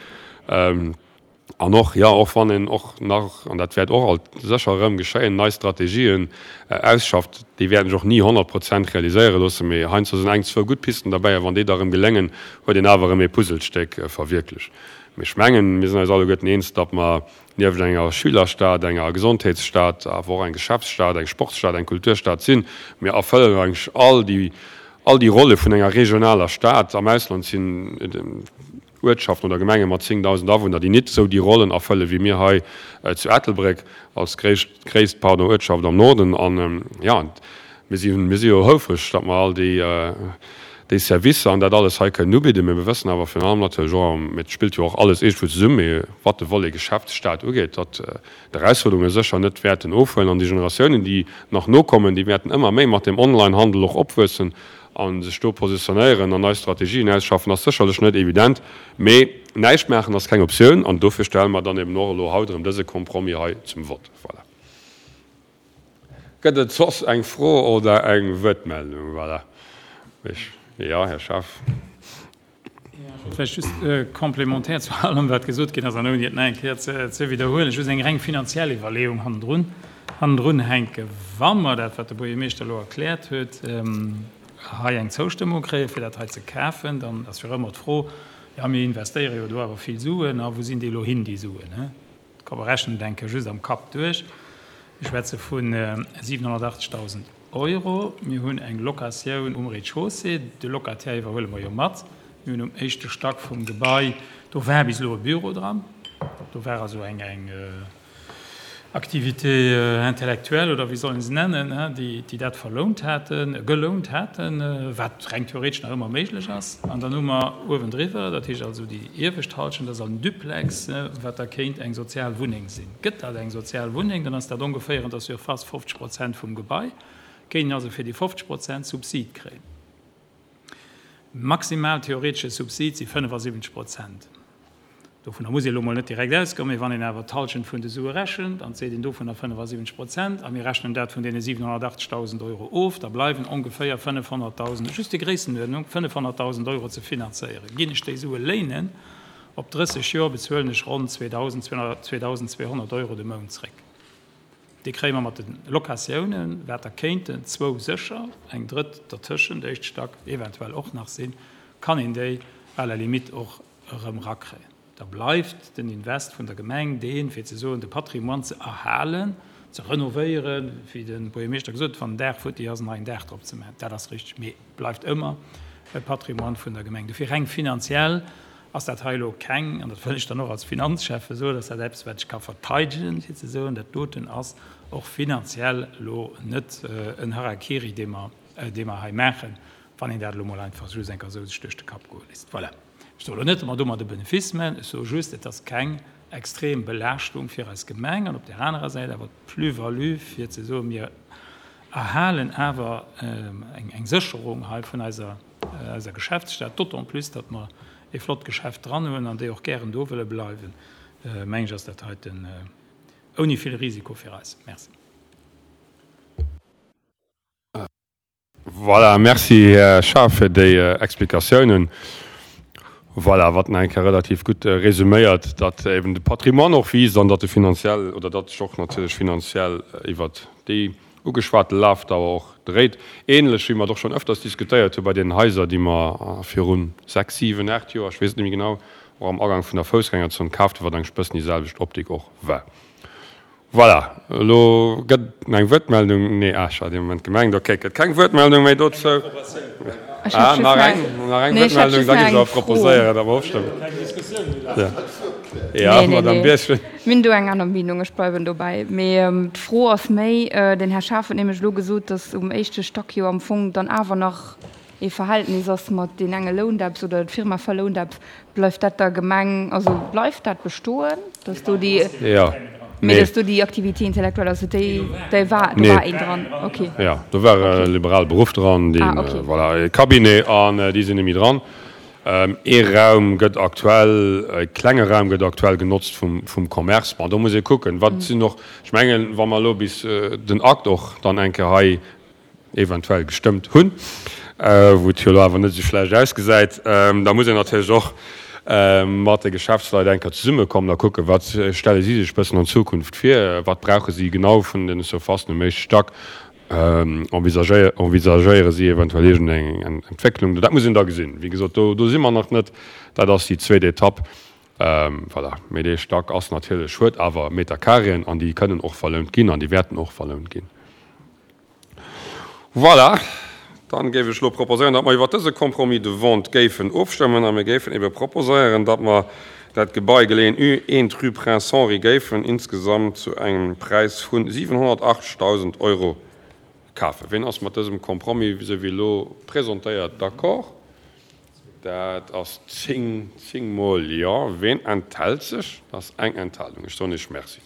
An och, jo, och wann een och nach, an dat wäert och alt sécher erëm geschéien, nei Strategien ausschafft, déi wäerten sech och ni 100 Prozent realiséiere loossen, mee heiansdo sinn eng, zwou gutt Pisten derbäi a wann déi da erëm geléngen, huet een awer erëm ee Puzzlestéck verwierklecht. Mee ech mengen, mir sinn eis alleguerten eens, datt mer nieft enger Schülerstad, enger Gesondheetsstad, awer och eng Geschäftsstad, eng Sportsstad, eng Kulturstad sinn. Mir erfëllen eigentlech all déi, all déi Rolle vun enger regionaler Stad. Am Ausland sinn. Uertschaften oder Gemenge mat 10.000 Awunner, déi nit esou déi Rollen erfëlle wéi mir hei zu Ettelbréck als gréisst, gréisst, pardon, Uertschaft am Norden. An, jo, mir si, mir si jo houfreg, datt mer all déi, déi Servicer an dat alles hei kënnen ubidden. Mee mir wëssen awer virun allem natierlech och, mee et spillt jo och alles iergendwou zesummen, mee wat de Volet Geschäftsstad ugeet, datt d'Erausfuerderunge sécher net wäerten ofhuelen an déi Generatiounen, déi nach nokommen, déi wäerten ëmmer méi mat dem Online-Handel och opwuessen a sech do positionéieren an nei Strategien ausschaffen, ass sécherlech net evident. Mee näischt maachen ass keng Optioun an dofir stelle mer dann eben och elo haut erëm dëse Compromis hei zum Vott. Voilà. Gëtt et soss eng Fro oder eng Wuertmeldung? Voilà. Jo, Här Schaaf. Vläicht just complémentaire zu allem, wat gesot ginn ass, an ouni et nach eng Kéier ze widderhuelen, just eng reng finanziell Iwwerleeung hannendrun, hannendrun hänken. Wa mer dat, wat de Buergermeeschter elo erkläert huet, hei eng Zoustëmmung kréien, fir dat hei ze kafen, dann ass jo ëmmer d'Fro, Jo, mir investéiere jo do awer vill Suen, a wou sinn déi elo hin, déi Suen? Komm, mer rechnen et eng Kéier just am Kapp duerch. Mir schwätze vu 780.000 Euro. Mir hunn eng Locatioun um Rez-de-chaussée. De Locataire iwwerhuele mer jo mat. Mir hunn um éischte Stack vum Gebai, do war bis elo e Büro dran. Do war also eng Activité intellectuelle, oder wéi soll een se nennen, déi dat verlount haten, gelount haten, wat reng theoretesch nach ëmmer méiglech ass. An dann hu mer uewendriwwer, dat heescht also déi iewescht Halschent ass en Duplex, wat da kéint eng sozial Wunneng sinn. Gëtt dat eng sozial Wunneng, dann ass dat ongeféier an der Surface 50 Prozent vum Gebai, kéint een also fir déi 50 Prozent Subsid kréien. Maximal theoretesche Subsid si 75 Prozent. Dovunner muss ee elo mol net direkt ausgoen, mee wann een awer d'Halschent vun de Sue rechent, an et seet een dovunner 75 Prozent, a mir rechnen dat vun deene 780.000 Euro of, da bleiwen ongeféier 500.000, just déi Gréissenuerdnung, 500.000 Euro ze finanzéieren. Ginn ech déi Sue léinen op 30 Joer, bezuelen ech ronn 2.200 Euro de Mount zréck. Déi kréie mer mat de Locatiounen, wat der kéinten zwou sécher, eng drëtt dertëschent, éischt Stack eventuell och nach sinn, kann een déi à la limite och erëm rakréien. Da bleift den Invest vun der Gemeng deen, fir ze soen, de Patrimoine ze erhalen, ze renovéieren, wéi de Buergermeeschter gesot huet, wann en Daach futti ass, en neien Daach drop ze maachen. Dat ass richteg, mee et bleift ëmmer e Patrimoine vun der Gemeng. Dofir reng finanziell ass dat hei elo keng, an dat wëll ech dann och als Finanzschäffe soen, ass dat eppes, wat ech ka verteidegen, fir ze soen, dat doten ass och finanziell elo net en Harakiri, dee mer, dee mer hei maachen, wann een dat elo mol einfach just eng Kéier esou sech duerch de Kapp goe léisst. Voilà. Ech soe elo net, datt mer domat e Benefice maachen, ech soe just, et ass keng extrem Belaaschtung fir eis Gemeng an op där anerer Säit awer d'Plus-value, fir ze soen, mir erhalen awer eng Sécherung hei vun eiser, eiser Geschäftsstad, d'autant plus, datt mer e flott Geschäft dran hunn an déi och gären do wëlle bleiwen, meng ech, ass dat heiten ouni vill Risiko fir eis. Merci. Voilà, merci Här Schaaf fir déi Explikatiounen. Voilà, wat nach eng Kéier relativ gutt resuméiert, datt eben de Patrimoine och wiisst an datt e finanziell, oder datt sech och natierlech finanziell iwwert déi ugeschwate Lafdauer och dréit. Ähnlech wéi mer et och schonn öfters diskutéiert hu bei deenen Haiser, déi mer virun 6, 7, 8 Joer, ech weess et net méi genau, och am Agank vun der Foussgängerzon kaaft hunn, wat eigentlech e bëssen déi selwecht Optik och war. Voilà, elo gëtt et eng Wuertmeldung. Nee, ah, ech hat ee Moment gemengt, okay, et gëtt keng Wuertmeldung méi dozou. Ah, nach eng, nach eng Wuertmeldung, da géif ech awer proposéieren, datt mer ofstëmmen. Ja, Madamm Birchen. Mir hunn do eng aner Meenung, ech bleiwen dobäi. Mee d'Fro ass méi, den Här Schaaf huet nämlech elo gesot, datt um éischte Stack jo am Fong dann awer nach ee Verhältnis ass mat deen enge lount eppes oder d'Firma verlount eppes, bleift dat der Gemeng, also bleift dat bestoen, dass do déi, Jo, mee dass do déi Activité intellectuelle, also déi, déi war, do war een dran, okay. Jo, do war e liberale Beruff dran, deen, voilà, e Cabinet, an déi sinn net méi dran. Ee Raum gëtt aktuell, e klenge Raum gëtt aktuell genotzt vum, vum Commerce. Bon, do muss ee kucken, wat sinn och, ech mengen, wa mer elo bis den Akt och dann eng Kéier hei eventuell gestëmmt hunn, wou et jo elo awer net esou schlecht ausgesäit, da muss een natierlech och mat de Geschäftsleit eng Kéier zesummekommen a kucken, wat stelle si sech bëssen an Zukunft vir, wat brauche si genau vun den Surfacen um éischte Stack, envisagéiere si eventuell iergendeng Entwécklung. Dat muss een da gesinn. Wéi gesot, do si mer nach net. Dat ass déi zweet Etapp. Voilà. Mee dee Stack ass natierlech, huet awer Meterkareeën an déi kënnen och verlount ginn an déi wäerten och verlount ginn. Voilà. Dann géif ech elo proposéieren, datt mer iwwert dëse Compromis de vente géifen ofstëmmen a mir géifen ebe proposéieren, datt mer dat Gebai, geleeën U 1 rue Prince Henri, géifen insgesamt zu engem Präis vu 780.000 Euro kafen. Ween ass mat dësem Compromis, esou wéi elo presentéiert, d'accord? Dat ass zéng, zéngmol Jo. Ween enthält sech? Dat ass eng Enthalung. Ech soen Iech Merci.